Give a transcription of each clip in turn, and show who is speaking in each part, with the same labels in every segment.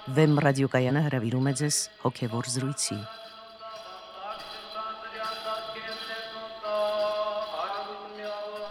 Speaker 1: Վեմ ռադիոկայանը հրավիրում է ձեզ հոգևոր զրույցի։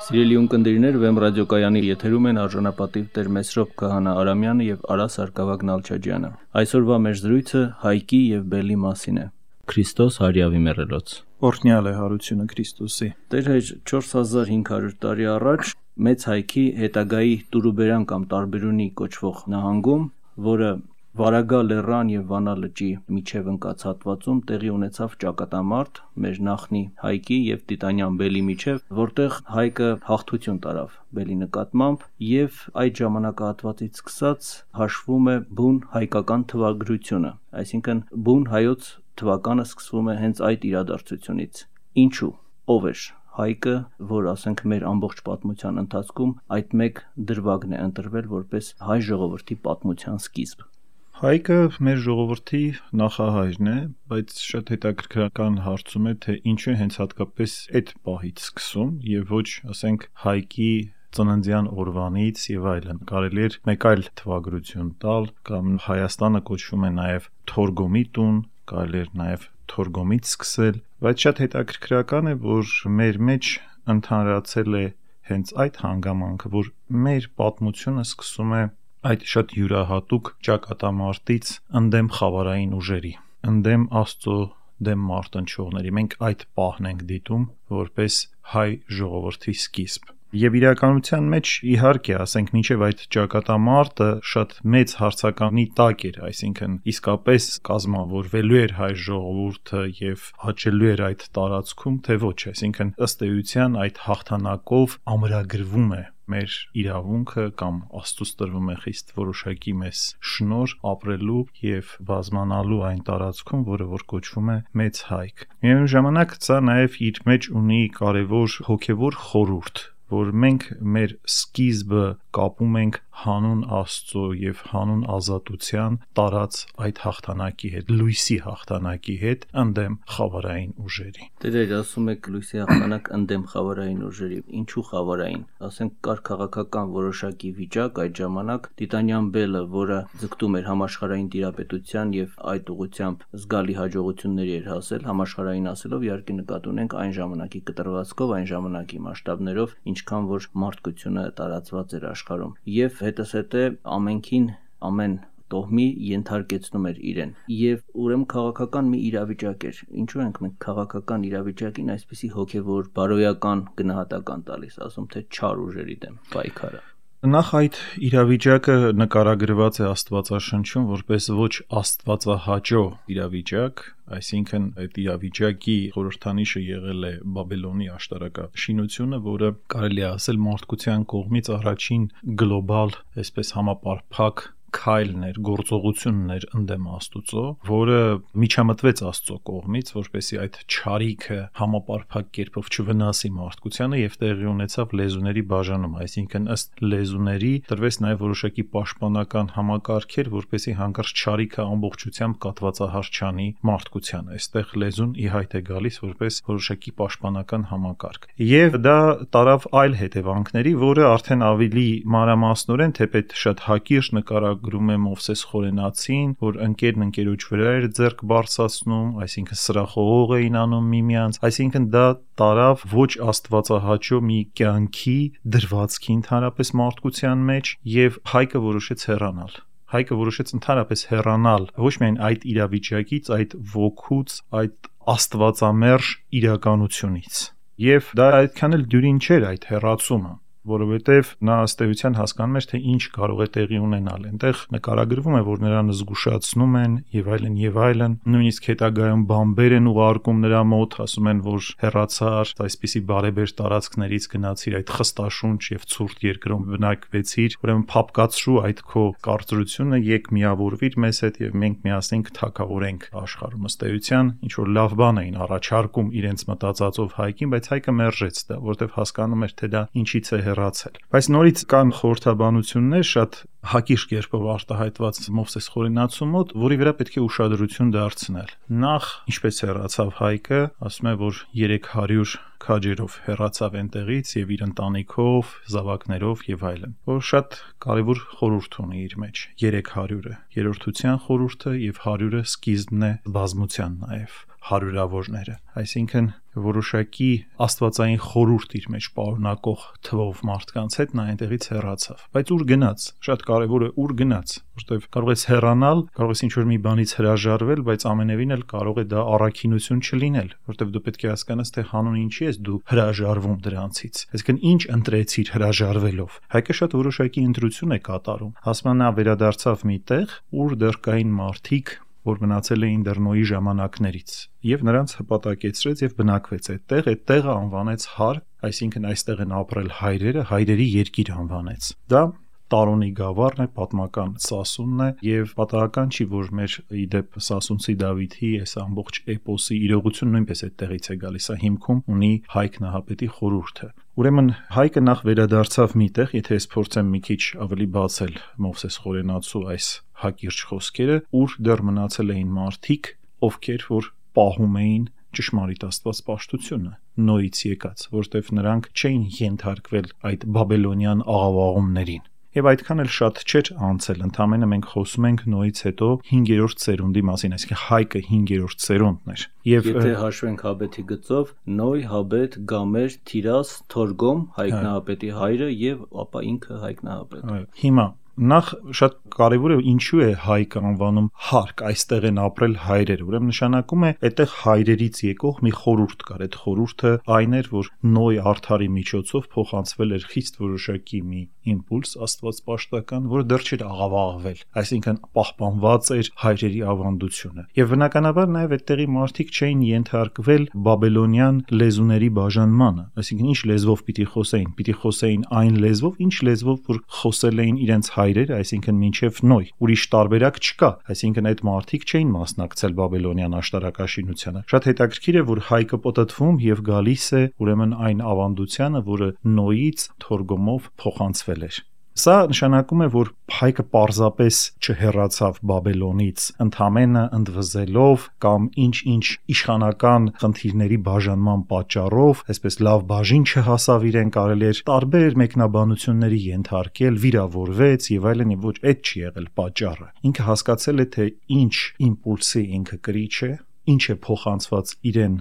Speaker 2: Սիրելի ունկնդիրներ, Վեմ ռադիոկայանի եթերում են արժանապատիվ Տեր Մեսրոպ Քահանա Արամյանը եւ Արա Սարգսակյան Նալչաջյանը։ Այսօրվա մեր զրույցը Հայկի եւ Բելի մասին է։ Քրիստոս հարյավի մեռելոց։
Speaker 3: Օրհնյալ է հարությունը Քրիստոսի։
Speaker 2: Տեր հայր 4500 տարի առաջ Մեծ Հայքի հետագայի Տուրուբերան կամ Տարբերունի կոչվող նահանգում, որը Վարագա լեռան եւ Վանա լճի միջև ընկած հատվածում տեղի ունեցավ ճակատամարտ մեր նախնի Հայկի եւ Տիտանյան Բելի միջև, որտեղ Հայկը հաղթություն տարավ Բելի նկատմամբ եւ այդ ժամանակահատվածից սկսած հաշվում է բուն հայկական թվագրությունը, այսինքն բուն հայոց թվականը սկսվում է հենց այդ իրադարձությունից։ Ինչու՞, ով էր Հայկը, որ ասենք մեր ամբողջ պատմության ընթացքում այդ մեկ դրվագն է ընտրվել որպես հայ ժողովրդի պատմության սկիզբ։
Speaker 3: Հայկը մեր ժողովրդի նախահայրն է, բայց շատ հետաքրքրական հարցում է, թե ինչու է հենց հատկապես այդ պահից սկսում եւ ոչ, ասենք, Հայկի ծննդյան օրվանից եւ այլն։ Կարելի էր մեկ այլ թվագրություն տալ, կամ Հայաստանը կոչվում է նաեւ Թորգոմի տուն, կարելի էր նաեւ Թորգոմից սկսել, բայց շատ հետաքրքրական է, որ մեր մեջ ընդհանրացել է հենց այդ հանգամանքը, որ մեր պատմությունը սկսում է այդ շատ յուրահատուկ ճակատամարտից ընդդեմ խավարային ուժերի, ընդդեմ Աստծո դեմ մարտնչողների։ Մենք այդ պահն ենք դիտում որպես հայ ժողովրդի սկիզբ։ Եվ իրականության մեջ իհարկե, ասենք, մինչև այդ ճակատամարտը շատ մեծ հարցականի տակ էր, այսինքն իսկապես կազմավորվելու էր հայ ժողովուրդը եւ աճելու էր այդ տարածքում, թե ոչ, այսինքն ըստ էության այդ հաղթանակով ամրագրվում է մեր իրավունքը կամ Աստծուց տրվում է խիստ որոշակի մեզ շնորհ ապրելու եւ բազմանալու այն տարածքում, որը որ կոչվում է Մեծ Հայք։ Միևնույն ժամանակ սա նաեւ իր մեջ ունի կարեւոր հոգեվոր խորհուրդ, որ մենք մեր սկիզբը կապում ենք հանուն Աստծո եւ հանուն ազատության տարած այդ հաղթանակի հետ, լույսի հաղթանակի հետ ընդդեմ խավարային ուժերի։
Speaker 2: Դեր ասում եք լույսի հաղթանակ ընդդեմ խավարային ուժերի։ Ինչու խավարային։ Ասենք կար քաղաքական որոշակի վիճակ այդ ժամանակ Տիտանյան Բելը, որը ձգտում էր համաշխարհային տիրապետության եւ այդ ուղղությամբ զգալի հաջողությունների էր հասել, համաշխարհային ասելով իհարկե նկատի ունենք այն ժամանակի կտրվածքով, այն ժամանակի մասշտաբներով, ինչքան որ մարդկությունը տարածված էր աշխարհում եւ հետսհետե ամենքին ամեն տոհմի ենթարկեցնում էր իրեն եւ ուրեմն քաղաքական մի իրավիճակ էր։ Ինչու ենք մենք քաղաքական իրավիճակին այսպիսի հոգեվոր բարոյական գնահատական տալիս, ասում թե չար ուժերի դեմ պայքարը։
Speaker 3: Նախ այդ իրավիճակը նկարագրված է Աստվածաշնչում որպես ոչ աստվածահաճո իրավիճակ, այսինքն այդ իրավիճակի խորհրդանիշը եղել է Բաբելոնի աշտարակաշինությունը, որը կարելի է ասել մարդկության կողմից առաջին գլոբալ, այսպես համապարփակ քայլն էր, գործողությունն էր ընդդեմ Աստծո, որը միջամտվեց Աստծո կողմից, որպեսզի այդ չարիքը համապարփակ կերպով չվնասի մարդկությանը եւ տեղի ունեցավ լեզուների բաժանում, այսինքն ըստ լեզուների տրվեց նաեւ որոշակի պաշտպանական համակարգեր, որպեսզի հանկարծ չարիքը ամբողջությամբ կատվածահարչանի մարդկությանը։ Այստեղ լեզուն ի հայտ է գալիս որպես որոշակի պաշտպանական համակարգ։ Եվ դա տարավ այլ հետևանքների, որը արդեն ավելի մանրամասնորեն, թեպետ շատ հակիրճ նկարագրում է Մովսես Խորենացին, որ ընկերն ընկերոջ վրա էր ձեռք բարձրացնում, այսինքն սրախողող էին անում միմյանց, այսինքն դա տարավ ոչ աստվածահաճո մի կյանքի դրվածքի ընդհանրապես մարդկության մեջ եւ Հայկը որոշեց հեռանալ։ Հայկը որոշեց ընդհանրապես հեռանալ ոչ միայն այդ իրավիճակից, այդ ոգուց, այդ աստվածամերժ իրականությունից։ Եվ դա այդքան էլ դյուրին չէր այդ հեռացումը, որովհետև նա ըստ էության հասկանում էր, թե ինչ կարող է տեղի ունենալ։ Այնտեղ նկարագրվում է, որ նրան զգուշացնում են եւ այլն, նույնիսկ հետագայում բամբեր են ուղարկում նրա մոտ, ասում են, որ հեռացար, այսպիսի բարեբեր տարածքներից գնացիր, այդ խստաշունչ եւ ցուրտ երկրում բնակվեցիր, ուրեմն փապկացրու այդ քո կարծրությունը, եկ միավորվիր մեզ հետ եւ մենք միասին կթակավորենք աշխարհում։ Ըստ էության ինչ որ լավ բան էին առաջարկում իրենց մտածածով Հայկին, բայց Հայկը մերժեց դա, որովհետև հասկանում էր, թե դա ինչից է հեռացել։ Բայց նորից կան խորհրդաբանություններ շատ հակիրճ կերպով արտահայտված Մովսես Խորենացու մոտ, որի վրա պետք է ուշադրություն դարձնել։ Նախ, ինչպես հեռացավ Հայկը, ասում է, որ 300 քաջերով հեռացավ այնտեղից եւ իր ընտանիքով, զավակներով եւ այլն, որ շատ կարեւոր խորհուրդ ունի իր մեջ 300-ը, երրորդության խորհուրդը եւ 100-ը սկիզբն է բազմության նաեւ հարյուրավորները, այսինքն որոշակի աստվածային խորհուրդ իր մեջ պարունակող թվով մարդկանց հետ նա այնտեղից հեռացավ։ Բայց ուր գնաց, շատ կարևոր է ուր գնաց, որտեղ կարող ես հեռանալ, կարող ես ինչ-որ մի բանից հրաժարվել, բայց ամենևին էլ կարող է դա առաքինություն չլինել, որտեղ դու պետք է հասկանաս, թե հանուն ինչի ես դու հրաժարվում դրանցից։ Այսինքն ինչ ընտրեցիր հրաժարվելով։ Հայկը շատ որոշակի ընտրություն է կատարում։ Ասում նա վերադարձավ մի տեղ, ուր դեռ կային մարդիկ, որ մնացել էին դեռ Նոյի ժամանակներից, եւ նրանց հպատակեցրեց եւ բնակվեց այդտեղ, այդ տեղը անվանեց Հար, այսինքն այստեղ են ապրել հայրերը, հայրերի երկիր անվանեց։ Դա Տարոնի գավառն է, պատմական Սասունն է եւ պատահական չի, որ մեր իդեպ Սասունցի Դավիթի այս ամբողջ էպոսի իրողություն նույնպես այդտեղից է գալիս, սա հիմքում ունի Հայկ Նահապետի խորհուրդը։ Ուրեմն Հայկը նախ վերադարձավ միտեղ, եթե ես փորձեմ մի քիչ ավելի բացել Մովսես Խորենացու այս հակիրճ խոսքերը, ուր դեռ մնացել էին մարդիկ, ովքեր որ պահում էին ճշմարիտ աստվածպաշտությունը Նոյից եկած, որտեվ նրանք չէին ենթարկվել այդ բաբելոնյան աղավաղումներին։ Եվ այդքան էլ շատ չէր անցել, ընդամենը մենք խոսում ենք Նոյից հետո 5-րդ ծերունդի մասին, այսինքն Հայկը 5-րդ ծերունդն էր։ Եվ
Speaker 2: եթե հաշվենք Հաբեթի գծով, Նոյ, Հաբեթ, Գամեր, Թիրաս, Թորգոմ, Հայկ Նահապետի հայրը եւ ապա ինքը Հայկ Նահապետը։
Speaker 3: Հիմա նախ շատ կարևոր է ինչու է Հայկը անվանում Հարկ, այստեղ են ապրել հայրեր, ուրեմն նշանակում է այդտեղ հայրերից եկող մի խորհուրդ կար, այդ խորհուրդը այն էր, որ Նոյ արդարի միջոցով փոխանցվել էր խիստ որոշակի մի իմպուլս աստվածպաշտական, որը դեռ չէր աղավաղվել, այսինքն պահպանված էր հայրերի ավանդությունը։ Եվ բնականաբար նաև այդտեղի մարդիկ չէին ենթարկվել բաբելոնյան լեզուների բաժանմանը, այսինքն ինչ լեզվով պիտի խոսեին այն լեզվով, ինչ լեզվով որ խոսել էին իրենց հայրերը, այսինքն մինչև Նոյ, ուրիշ տարբերակ չկա, այսինքն այդ մարդիկ չէին մասնակցել բաբելոնյան աշտարակաշինությանը։ Շատ հետաքրքիր է, որ Հայկը պտտվում եւ գալիս է ուրեմն այն ավանդությանը, որը Նոյից Թորգոմով փոխանցվել էր։ Սա նշանակում է, որ Հայկը պարզապես չհեռացավ Բաբելոնից, ընդամենը ընդվզելով կամ ինչ-ինչ իշխանական խնդիրների բաժանման պատճառով, այսպես լավ բաժին չհասավ իրեն, կարելի էր տարբեր մեկնաբանությունների ենթարկել, վիրավորվեց եւ այլն, եւ ոչ այդ չի եղել պատճառը։ Ինքը հասկացել է, թե ինչ իմպուլսի ինքը կրիչ է, ինչ է փոխանցված իրեն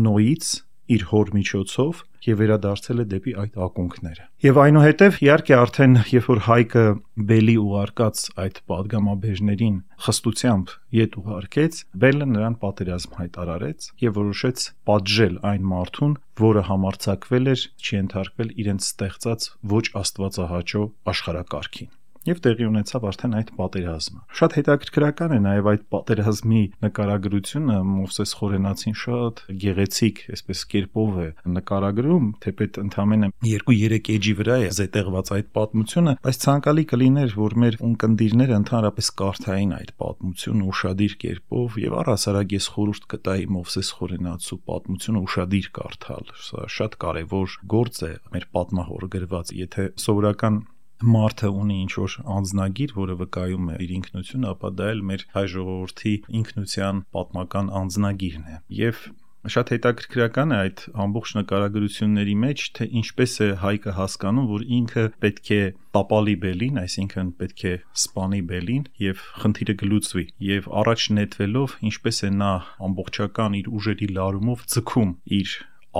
Speaker 3: Նոյից, իր հոր միջոցով եւ վերադարձել է դեպի այդ ակունքները։ Եվ այնուհետև իհարկե արդեն երբ որ Հայկը Բելի ուղարկած այդ падգամաբեժներին խստությամբ ետ ուղարկեց, Բելը նրան պատերազմ հայտարարեց եւ որոշեց պատժել այն մարդուն, որը համարձակվել էր չենթարկվել իրենց ստեղծած ոչ աստվածահաճո աշխարհակարգին։ Եվ տեղի ունեցավ արդեն այդ պատերազմը։ Շատ հետաքրքրական է նաև այդ պատերազմի նկարագրությունը, Մովսես Խորենացին շատ գեղեցիկ, այսպես կերպով է նկարագրում, թեպետ ընդամենը 2-3 էջի վրա է զետեղված այդ պատմությունը, բայց ցանկալի կլիներ, որ մեր ունկնդիրները ընդհանրապես կարդային այդ պատմությունը ուշադիր կերպով եւ առհասարակ ես խորհուրդ կտայի Մովսես Խորենացու պատմությունը ուշադիր կարդալ։ Սա շատ կարևոր գործ է մեր պատմահոր գրված, եթե սովորական մարդը ունի ինչ-որ անձնագիր, որը վկայում է իր ինքնությունը, ապա դա էլ մեր հայ ժողովրդի ինքնության պատմական անձնագիրն է։ Եվ շատ հետաքրքրական է այդ ամբողջ նկարագրությունների մեջ, թե ինչպես է Հայկը հասկանում, որ ինքը պետք է տապալի Բելին, այսինքն պետք է սպանի Բելին եւ խնդիրը գլուծվի։ Եվ առաջ նետվելով, ինչպես է նա ամբողջական իր ուժերի լարումով ձգում իր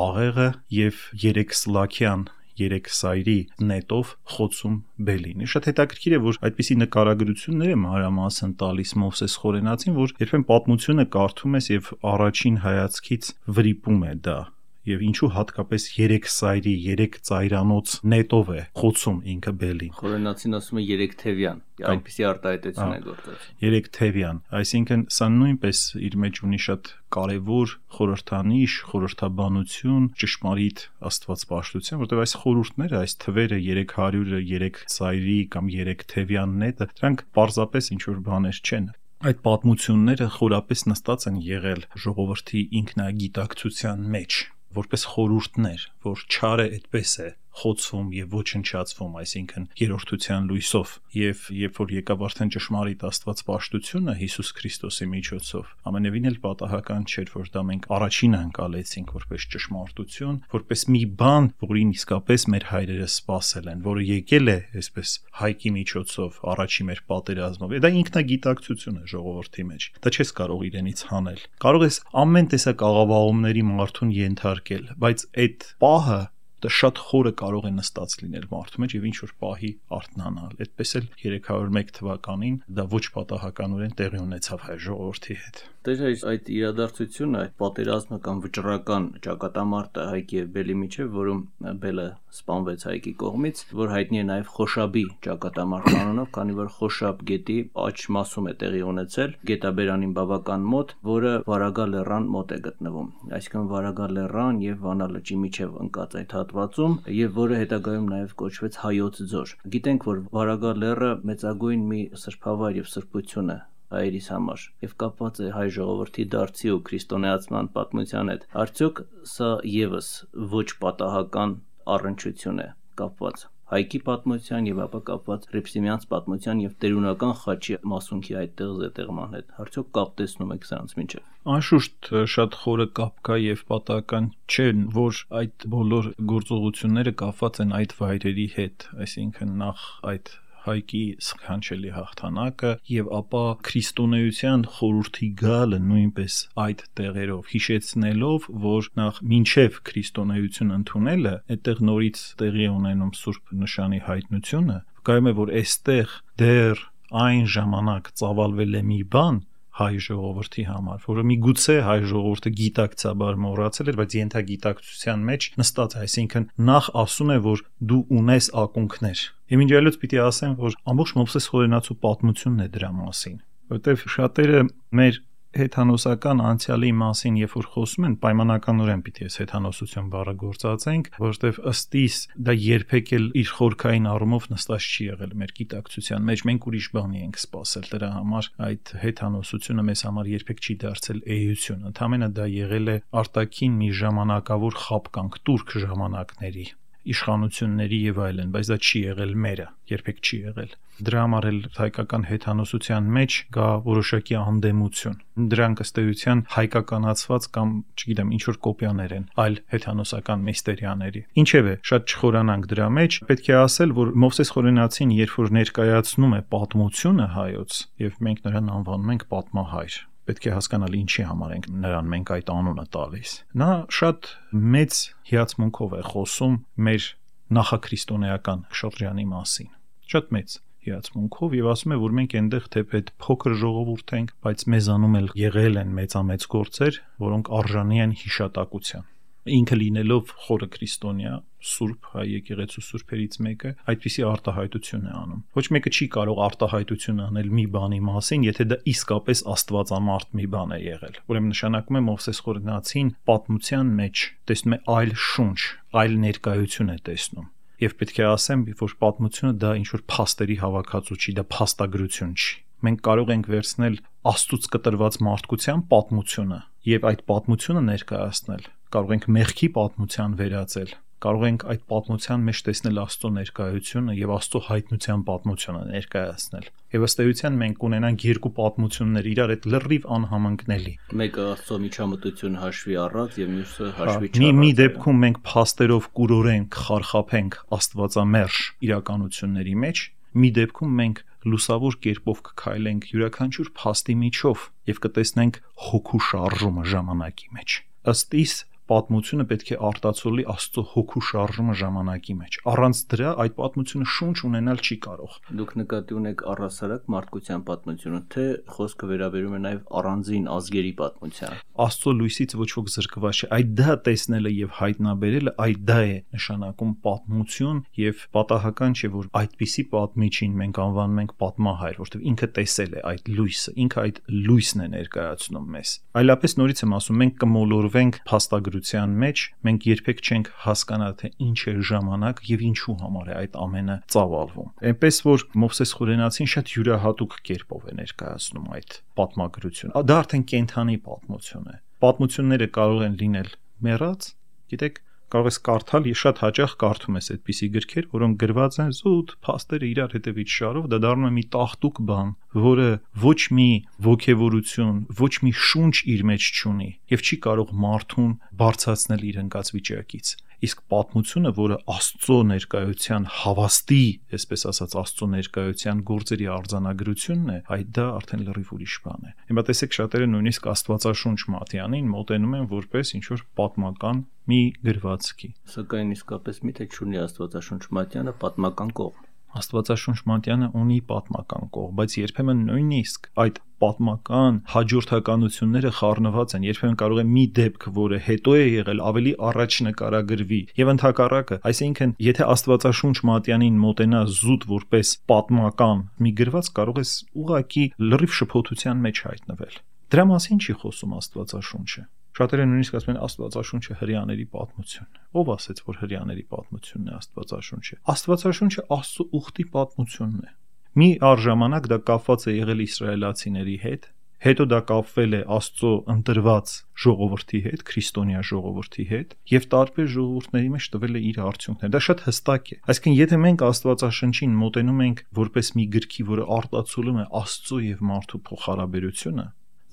Speaker 3: աղեղը եւ 3 սլաքյան 3 սայրի նետով խոցում Բելին։ Շատ հետաքրքիր է, որ այդպիսի նկարագրություններ է մանրամասն տալիս Մովսես Խորենացին, որ երբեմն պատմությունը կարդում ես եւ առաջին հայացքից վրիպում է դա։ Եվ ինչու հատկապես 3 սայրի 3 ծայրանոց նետով է խոցում ինքը Բելին։
Speaker 2: Խորենացին ասում է 3 թևյան, այդպիսի արտահայտություն է գործած։
Speaker 3: 3 թևյան, այսինքն սա նույնպես իր մեջ ունի շատ կարևոր խորհրդանիշ, խորհրդաբանություն, ճշմարիտ աստվածպաշտություն, որտեղ այս խորհուրդները, այս թվերը 300-ը, 3 սայրի կամ 3 թևյան նետը, դրանք պարզապես ինչ-որ բաներ չեն։ Այդ պատմությունները խորապես նստած են եղել ժողովրդի ինքնագիտակցության մեջ, որպես խորհուրդներ, որ չարը այդպես է խոցվում եւ ոչնչացվում, այսինքն երրորդության լույսով, եւ երբ որ եկավ արդեն ճշմարիտ Աստվածպաշտությունը Հիսուս Քրիստոսի միջոցով, ամենևին էլ պատահական չէր, որ դա մենք առաջինը ընկալեցինք որպես ճշմարտություն, որպես մի բան, որին իսկապես մեր հայրերը սпасել են, որը եկել է այսպես հայքի միջոցով, առաջի մեր պատերազմով։ Դա ինքնագիտակցություն է ժողովրդի մեջ։ Դա չես կարող իրենից հանել։ Կարող ես ամեն տեսակ աղավաղումների մարդուն ենթարկել, բայց այդ պահը դա շատ խորը կարող է նստած լինել մարդու մեջ եւ ինչ որ պահի արթնանալ։ Այդպես էլ 301 թվականին դա ոչ պատահականորեն տեղի ունեցավ հայ ժողովրդի հետ։
Speaker 2: Դեր այդ իրադարձությունը, այդ պատերազմը կամ վճռական ճակատամարտը Հայքի եւ Բելի միջեւ, որում Բելը սպանվեց Հայքի կողմից, որ հայտնի է նաեւ Խոշաբի ճակատամարտ անունով, քանի որ Խոշաբ գետի աջ մասում է տեղի ունեցել, գետաբերանին բավական մոտ, որը Վարագա լեռան մոտ է գտնվում։ Այսինքն Վարագա լեռան եւ Վանա լճի միջեւ ընկած այդ հատվածում եւ որը հետագայում նաեւ կոչվեց Հայոց ձոր։ Գիտենք, որ Վարագա լեռը մեծագույն մի սրբավայր եւ սրբություն է հայերիս համար եւ կապված է հայ ժողովրդի դարձի ու քրիստոնեացման պատմության հետ։ Արդյոք սա եւս ոչ պատահական առնչություն է կապված Հայքի պատմության եւ ապա կապված Հռիփսիմյանց պատմության եւ տերունական խաչի մասունքի այդտեղ զետեղման հետ։ Արդյոք կապ տեսնում եք սրանց միջեւ։
Speaker 3: Անշուշտ շատ խորը կապ կա եւ պատահական չէ, որ այդ բոլոր գործողությունները կապված են այդ վայրերի հետ, այսինքն նախ այդ Հայքի սքանչելի հաղթանակը եւ ապա քրիստոնեության խորհրդի գալը նույնպես այդ տեղերով, հիշեցնելով, որ նախ մինչեւ քրիստոնեություն ընդունելը այդտեղ նորից տեղի ունենում Սուրբ նշանի հայտնությունը, վկայում է, որ այստեղ դեռ այն ժամանակ ծավալվել է մի բան հայ ժողովրդի համար, որը միգուցե հայ ժողովուրդը գիտակցաբար մոռացել էր, բայց ենթագիտակցության մեջ նստած է, այսինքն նախ ասում է, որ դու ունես ակունքներ։ Իմ ինչ այլոց պիտի ասեմ, որ ամբողջ Մովսես Խորենացու պատմությունն է դրա մասին, որտեղ շատերը մեր հեթանոսական անցյալի մասին, երբ որ խոսում են, պայմանականորեն պիտի այս հեթանոսություն բառը գործածենք, որովհետև ըստ իս դա երբեք էլ իր խորքային առումով նստած չի եղել մեր գիտակցության մեջ, մենք ուրիշ բանի ենք սպասել, դրա համար այդ հեթանոսությունը մեզ համար երբեք չի դարձել էություն, ընդհանրապես դա եղել է արտաքին մի ժամանակավոր խապկանք տուրք ժամանակների իշխանությունների եւ այլն, բայց դա չի եղել մերը, երբեք չի եղել։ Դրա համար էլ հայկական հեթանոսության մեջ կա որոշակի անդեմություն։ Դրանք ըստ էության հայկականացված կամ, չգիտեմ, ինչ որ կոպիաներ են այլ հեթանոսական միստերիաների։ Ինչևէ, շատ չխորանանք դրա մեջ, պետք է ասել, որ Մովսես Խորենացին, երբ որ ներկայացնում է պատմությունը հայոց, եւ մենք նրան անվանում ենք պատմահայր, պետք է հասկանալ ինչի համար ենք նրան մենք այդ անունը տալիս։ Նա շատ մեծ հիացմունքով է խոսում մեր նախաքրիստոնեական շրջանի մասին։ Շատ մեծ հիացմունքով եւ ասում է, որ մենք այնտեղ թեպետ փոքր ժողովուրդ ենք, բայց մեզանում էլ եղել են մեծամեծ գործեր, որոնք արժանի են հիշատակության։ Ինքը լինելով խորը քրիստոնյա, Սուրբ հայ եկեղեցու սուրբերից մեկը, այդպիսի արտահայտություն է անում։ Ոչ մեկը չի կարող արտահայտություն անել մի բանի մասին, եթե դա իսկապես աստվածամարդ մի բան է եղել։ Ուրեմն նշանակում է Մովսես Խորենացին պատմության մեջ տեսնում է այլ շունչ, այլ ներկայություն է տեսնում։ Եվ պետք է ասեմ, որ պատմությունը դա ինչ որ փաստերի հավաքածու չի, դա փաստագրություն չի։ Մենք կարող ենք վերցնել Աստծուց կտրված մարդկության պատմությունը եւ այդ պատմությունը ներկայացնել։ Կարող ենք մեղքի պատմության վերածել, կարող ենք այդ պատմության մեջ տեսնել Աստծո ներկայությունը եւ Աստծո հայտնության պատմությունը ներկայացնել։ Եվ ըստ էության մենք ունենանք երկու պատմություններ իրար հետ լրիվ անհամընկնելի։
Speaker 2: Մեկը Աստծո միջամտություն հաշվի առած եւ մյուսը հաշվի չառած։
Speaker 3: Մի դեպքում մենք փաստերով կուրորենք, խարխափենք աստվածամերժ իրականությունների մեջ, մի դեպքում մենք լուսավոր կերպով կքայլենք յուրաքանչյուր փաստի միջով եւ կտեսնենք հոգու շարժումը ժամանակի մեջ։ Ըստ իս պատմությունը պետք է արտացոլի Աստծո հոգու շարժումը ժամանակի մեջ։ Առանց դրա այդ պատմությունը շունչ ունենալ չի կարող։
Speaker 2: Դուք նկատի ունեք առհասարակ մարդկության պատմությունը, թե խոսքը վերաբերում է նաև առանձին ազգերի պատմության։
Speaker 3: Աստծո լույսից ոչ ոք զրկված չէ։ Այդ դա տեսնելը եւ հայտնաբերելը այդ դա է նշանակում պատմություն եւ պատահական չէ, որ այդպիսի պատմիչին մենք անվանում ենք պատմահայր, որովհետեւ ինքը տեսել է այդ լույսը, ինքը այդ լույսն է ներկայացնում մեզ։ Այլապես նորից եմ ասում, մենք կմոլորվենք փաստագրության մեջ, մենք երբեք չենք հասկանա թե ինչ է ժամանակ եւ ինչու համար է այդ ամենը ծավալվում։ Այնպես որ Մովսես Խորենացին շատ յուրահատուկ կերպով է ներկայացնում այդ պատմագրությունը։ Դա արդեն կենթանի պատմություն է։ Պատմությունները կարող են լինել մեռած, գիտեք, կարող ես կարդալ, ես շատ հաճախ կարդում ես այդպիսի գրքեր, որոնք գրված են զուտ փաստերը իրար հետևից շարով, դա դառնում է մի տաղտուկ բան, որը ոչ մի ոգևորություն, ոչ մի շունչ իր մեջ չունի եւ չի կարող մարդուն բարձրացնել իր ընկած վիճակից։ Իսկ պատմությունը, որը Աստծո ներկայության հավաստի, այսպես ասած, Աստծո ներկայության գործերի արձանագրությունն է, այդ դա արդեն լրիվ ուրիշ բան է։ Հիմա տեսեք, շատերը նույնիսկ Աստվածաշունչ Մատյանին մոտենում են որպես ինչ-որ պատմական մի գրվածքի։
Speaker 2: Սակայն իսկապես միթե չունի Աստվածաշունչ Մատյանը պատմական կողմ։
Speaker 3: Աստվածաշունչ Մատյանը ունի պատմական կողմ, բայց երբեմն նույնիսկ այդ պատմական հաջորդականությունները խառնված են, երբեմն կարող է մի դեպք, որը հետո է եղել, ավելի առաջ նկարագրվի եւ ընդհակառակը, այսինքն եթե Աստվածաշունչ Մատյանին մոտենաս զուտ որպես պատմական մի գրված, կարող ես ուղղակի լրիվ շփոթության մեջ հայտնվել։ Դրա մասին չի խոսում Աստվածաշունչը։ Շատերը նույնիսկ ասում են Աստվածաշունչը հրեաների պատմություն։ Ով ասեց, որ հրեաների պատմությունն է Աստվածաշունչը։ Աստվածաշունչը Աստծո ուխտի պատմությունն է։ Մի առժամանակ դա կապված է եղել իսրայելացիների հետ, հետո դա կապվել է Աստծո ընտրված ժողովրդի հետ, քրիստոնյա ժողովրդի հետ, եւ տարբեր ժողովուրդների մեջ տվել է իր արդյունքները։ Դա շատ հստակ է։ Այսինքն, եթե մենք Աստվածաշնչին մոտենում ենք որպես մի գրքի, որը արտացոլում է Աստծո եւ մարդու փոխհարաբերությունը,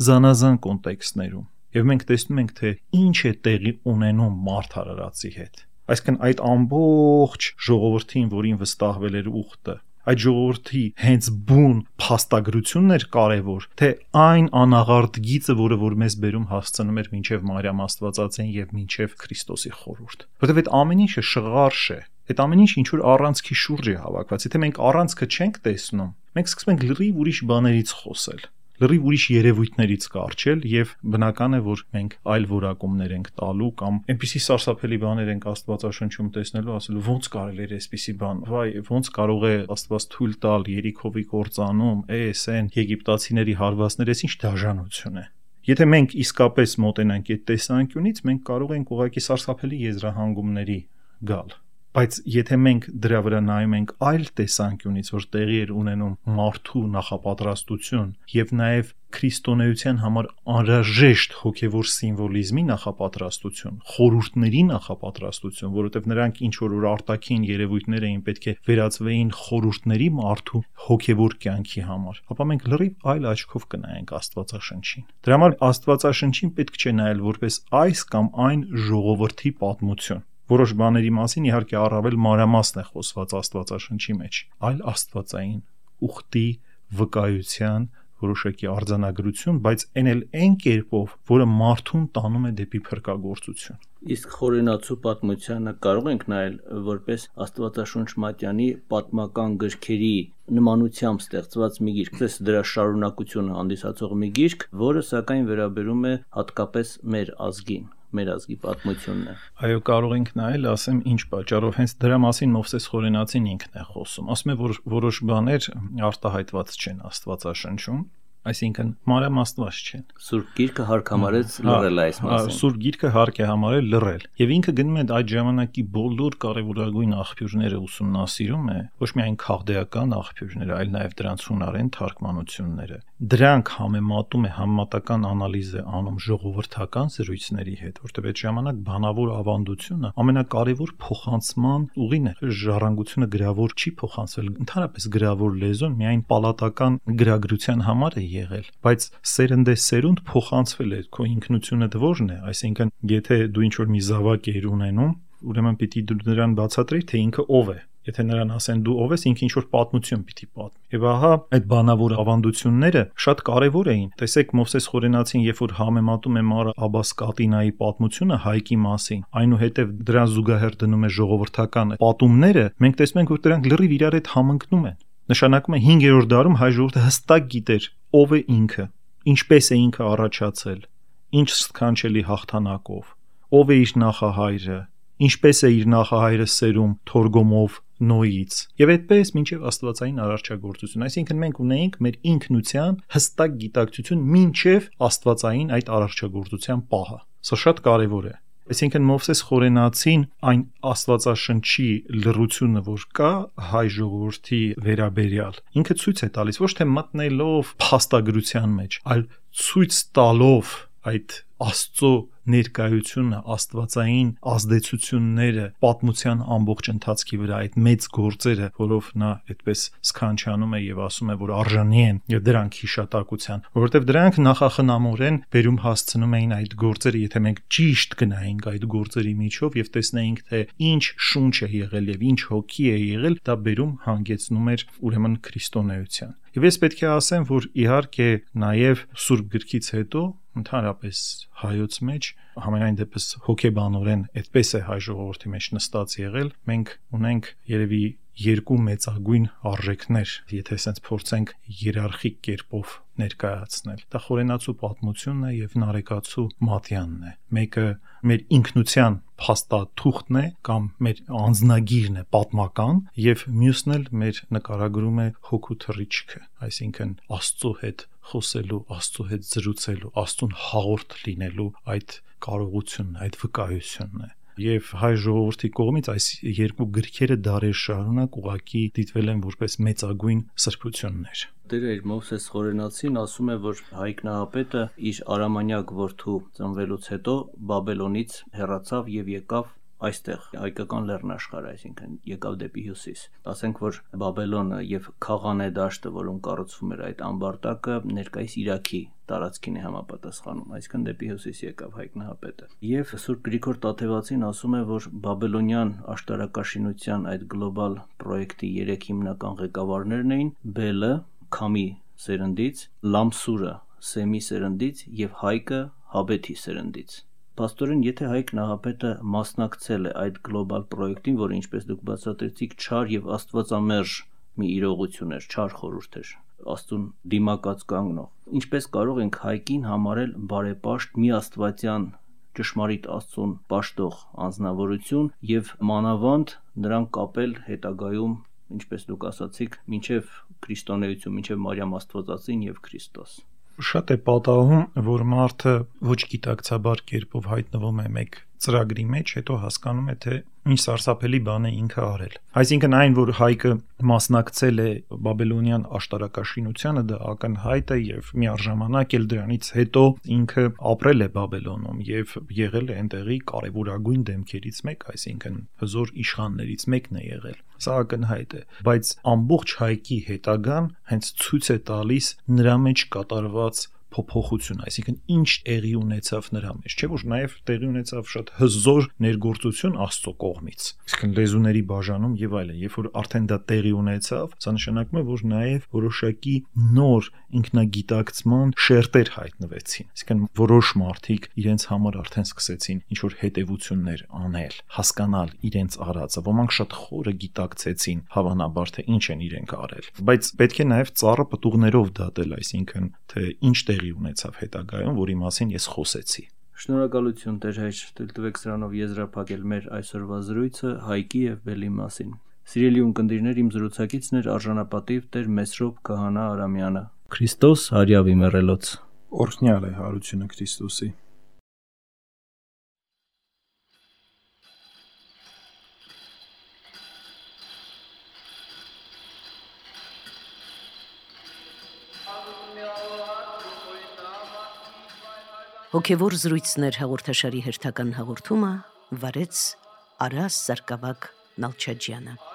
Speaker 3: զանազան կոնտեքստներում, եւ մենք տեսնում ենք, թե ինչ է տեղի ունենում մարդ արարածի հետ։ Այսինքն այդ ամբողջ ժողովրդին, որին վստահվել էր ուխտը, այդ ժողովրդի հենց բուն փաստագրությունն էր կարևոր, թե այն անաղարտ գիծը, որը որ մեզ բերում հասցնում էր մինչև Մարիամ Աստվածածին եւ մինչև Քրիստոսի խորհուրդ։ Որտեւ այդ ամեն ինչը շղարշ է։ Այդ ամեն ինչը ինչ որ առանցքի շուրջ է հավաքված։ Եթե մենք առանցքը չենք տեսնում, մենք սկսում ենք լրիվ ուրիշ բաներից խոսել, լրիվ ուրիշ երևույթներից կարճել եւ բնական է, որ մենք այլ որակումներ ենք տալու կամ այնպիսի սարսափելի բաներ ենք Աստվածաշնչում տեսնելու, ասելու ոնց կարելի է այսպիսի բան, վայ, ոնց կարող է Աստված թույլ տալ Երիքովի կործանում, այն եգիպտացիների հարվածները, ինչ դաժանություն է։ Եթե մենք իսկապես մոտենանք այդ տեսանկյունից, մենք կարող ենք ուղղակի սարսափելի եզրահանգումների գալ։ Բայց եթե մենք դրա վրա նայում ենք այլ տեսանկյունից, որ տեղի էր ունենում մարդու նախապատրաստություն եւ նաեւ քրիստոնեության համար անհրաժեշտ հոգեվոր սիմվոլիզմի նախապատրաստություն, խորհուրդների նախապատրաստություն, որովհետեւ նրանք ինչ որ արտաքին երևույթներ էին, պետք է վերածվեին խորհուրդների մարդու հոգեվոր կյանքի համար, ապա մենք լրիվ այլ աչքով կնայենք Աստվածաշնչին։ Դրա համար Աստվածաշնչին պետք չէ նայել որպես այս կամ այն ժողովրդի պատմություն։ Որոշ բաների մասին իհարկե առավել մանրամասն է խոսված Աստվածաշնչի մեջ, այլ աստվածային ուխտի վկայության որոշակի արձանագրություն, բայց այն կերպով, որը մարդուն տանում է դեպի փրկagorցություն։
Speaker 2: Իսկ խորենացու պատմությանը կարող ենք նայել որպես Աստվածաշունչ Մատյանի պատմական գրքերի նմանությամբ ստեղծված մի գիրք, դες դրա շարունակությունը հանդիսացող մի գիրք, որը սակայն վերաբերում է հատկապես մեր ազգին, մեր ազգի պատմությունն է։
Speaker 3: Այո, կարող ենք նայել, ասեմ, ինչ պատճառով հենց դրա մասին Մովսես Խորենացին ինքն է խոսում։ Ասում է, որ որոշ բաներ արտահայտված չեն Աստվածաշնչում, այսինքն մանրամասնված չեն։
Speaker 2: Սուրբ Գիրքը հարկ համարեց լռել այս մասին։
Speaker 3: Սուրբ Գիրքը հարկ է համարել լռել։ Եվ ինքը գնում է այդ ժամանակի բոլոր կարևորագույն աղբյուրները ուսումնասիրում է, ոչ միայն քաղդեական աղբյուրները, այլ նաև դրանց հունարեն թարգմանությունները։ Դրանք համեմատում է, համեմատական անալիզ է անում ժողովրդական զրույցների հետ, որտեղ այդ ժամանակ բանավոր ավանդությունը ամենակարևոր փոխանցման ուղին է։ Ժառանգությունը գրավոր չի փոխանցվել, ընդհանրապես գրավոր լեզուն միայն պալատական գրագրության համար է եղել, բայց սերնդեսերունդ փոխանցվել է, քո ինքնությունը դժվարն է, այսինքն եթե դու ինչ-որ մի զավակ ես ունենում, ուրեմն պիտի դու նրան բացատրեի, թե ինքը ով է։ Եթե նրան ասեն դու ով ես, ինքը ինչ-որ պատմություն պիտի պատմի։ Եվ ահա այդ բանավոր ավանդությունները շատ կարևոր էին։ Տեսեք Մովսես Խորենացին, երբ որ համեմատում է Մար Աբաս Կատինայի պատմությունը Հայկի մասին, այնուհետև դրան զուգահեռ դնում է ժողովրդական պատումները, մենք տեսնում ենք, որ դրանք լրիվ իրար հետ համընկնում են։ Նշանակում է 5-րդ դարում հայ ժողովուրդը հստակ գիտեր ով է ինքը, ինչպես է ինքը առաջացել, ինչ սքանչելի հաղթանակով, ով է իր նախահայրը, ինչպես է իր նախահայրը սերում Թորգոմով Նոյից։ Եվ այդպես մինչև աստվածային արարչագործություն, այսինքն մենք ունեինք մեր ինքնության հստակ գիտակցություն մինչև աստվածային այդ արարչագործության պահը։ Սա շատ կարևոր է։ Այսինքն Մովսես Խորենացին այն Աստվածաշնչի լռությունը, որ կա հայ ժողովրդի վերաբերյալ, ինքը ցույց է տալիս ոչ թե մտնելով փաստագրության մեջ, այլ ցույց տալով այդ Աստծո ներկայությունը, աստվածային ազդեցությունները պատմության ամբողջ ընթացքի վրա, այդ մեծ գործերը, որով նա այդպես սքանչանում է եւ ասում է, որ արժանի են եւ դրանք հիշատակության, որովհետեւ դրանք նախախնամորեն բերում հասցնում էին այդ գործերը, եթե մենք ճիշտ գնայինք այդ գործերի միջով եւ տեսնեինք, թե ինչ շունչ է եղել եւ ինչ հոգի է եղել, դա բերում հանգեցնում էր ուրեմն քրիստոնեության։ Եվ ես պետք է ասեմ, որ իհարկե նաև Սուրբ գրքից հետո ընդհանրապես հայոց մեջ համենայն դեպս հոգեբանորեն այդպես է հայ ժողովրդի մեջ նստած եղել, մենք ունենք երևի երկու մեծագույն արժեքներ, եթե ասենց փորձենք հիերարխիկ կերպով ներկայացնել։ Դա խորենացու պատմությունն է եւ նարեկացու մատյանն է։ Մեկը մեր ինքնության փաստաթուղթն է կամ մեր անձնագիրն է պատմական եւ մյուսն էլ մեր նկարագրում է հոգու թռիչքը, այսինքն Աստծո հետ խոսելու, Աստծո հետ զրուցելու, Աստծուն հաղորդ լինելու այդ կարողությունն, այդ վկայությունն է։ Եվ հայ ժողովրդի կողմից այս երկու գրքերը դարեր շարունակ ուղղակի դիտվել են որպես մեծագույն սրբություններ։
Speaker 2: Տերը իր Մովսես Խորենացին ասում է, որ Հայկ Նահապետը իր արամանյակ որդու ծնվելուց հետո Բաբելոնից հեռացավ եւ եկավ այստեղ հայկական լեռնաշխարհ, այսինքն եկավ դեպի հյուսիս։ Ասենք, որ Բաբելոնը եւ Խաղանե դաշտը, որոնց կառուցվում էր այդ ամբարտակը, ներկայիս Իրաքի տարածքին է համապատասխանում, այսինքն դեպի հյուսիս եկավ Հայկ Նահապետը։ Եվ Սուրբ Գրիգոր Տաթևացին ասում է, որ Բաբելոնյան աշտարակաշինության այդ գլոբալ պրոյեկտի 3 հիմնական ղեկավարներն էին Բելը Քամի սերնդից, Լամսուրը Սեմի սերնդից եւ Հայկը Հաբեթի սերնդից։ Պաստորեն, եթե Հայկ Նահապետը մասնակցել է այդ գլոբալ պրոյեկտին, որը ինչպես դուք բացատրեցիք, չար եւ աստվածամերժ մի իրողություն էր, չար խորհուրդ էր, Աստծուն դիմակաց կանգնող, ինչպես կարող ենք Հայկին համարել բարեպաշտ մի աստվածյան ճշմարիտ Աստծուն պաշտող անձնավորություն եւ մանավանդ նրան կապել հետագայում, ինչպես դուք ասացիք, մինչև քրիստոնեություն, մինչև Մարիամ Աստվածածին եւ Քրիստոս։
Speaker 3: Շատ է պատահում, որ մարդը ոչ գիտակցաբար կերպով հայտնվում է մեկ ծրագրի մեջ, հետո հասկանում է, թե ինչ սարսափելի բան է ինքը արել։ Այսինքն այն, որ Հայկը մասնակցել է Բաբելոնյան աշտարակաշինությանը, դա ակնհայտ է եւ միառժամանակ էլ դրանից հետո ինքը ապրել է Բաբելոնում եւ եղել է այնտեղի կարևորագույն դեմքերից մեկ, այսինքն հզոր իշխաններից մեկն է եղել։ Սա ակնհայտ է, բայց ամբողջ Հայկի հետագան հենց ցույց է տալիս նրա մեջ կատարված փոփոխություն, այսինքն ինչ տեղի ունեցավ նրա մեջ, չէ՞ որ նաև տեղի ունեցավ շատ հզոր ներգործություն Աստծո կողմից, այսինքն լեզուների բաժանում եւ այլն, երբ որ արդեն դա տեղի ունեցավ, սա նշանակում է, որ նաև որոշակի նոր ինքնագիտակցման շերտեր հայտնվեցին, այսինքն որոշ մարդիկ իրենց համար արդեն սկսեցին ինչ որ հետևություններ անել, հասկանալ իրենց արածը, ոմանք շատ խորը գիտակցեցին հավանաբար թե ինչ են իրենք արել, բայց պետք է նաև ծառը պտուղներով դատել, այսինքն թե ինչ ունեցավ հետագայում, որի մասին ես խոսեցի։
Speaker 2: Շնորհակալություն Տեր հայր, տվեք սրանով եզրափակել մեր այսօրվա զրույցը Հայկի եւ Բելի մասին։ Սիրելի ունկնդիրներ, իմ զրուցակիցն էր արժանապատիվ Տեր Մեսրոպ Քահանա Արամյանը։ Քրիստոս հարյավի մեռելոց։
Speaker 3: Օրհնյալ է հարությունը Քրիստոսի։
Speaker 1: Հոգևոր զրույցներ հաղորդաշարի հերթական հաղորդումը վարեց Արաս Սարգսակ Նալչաջյանը։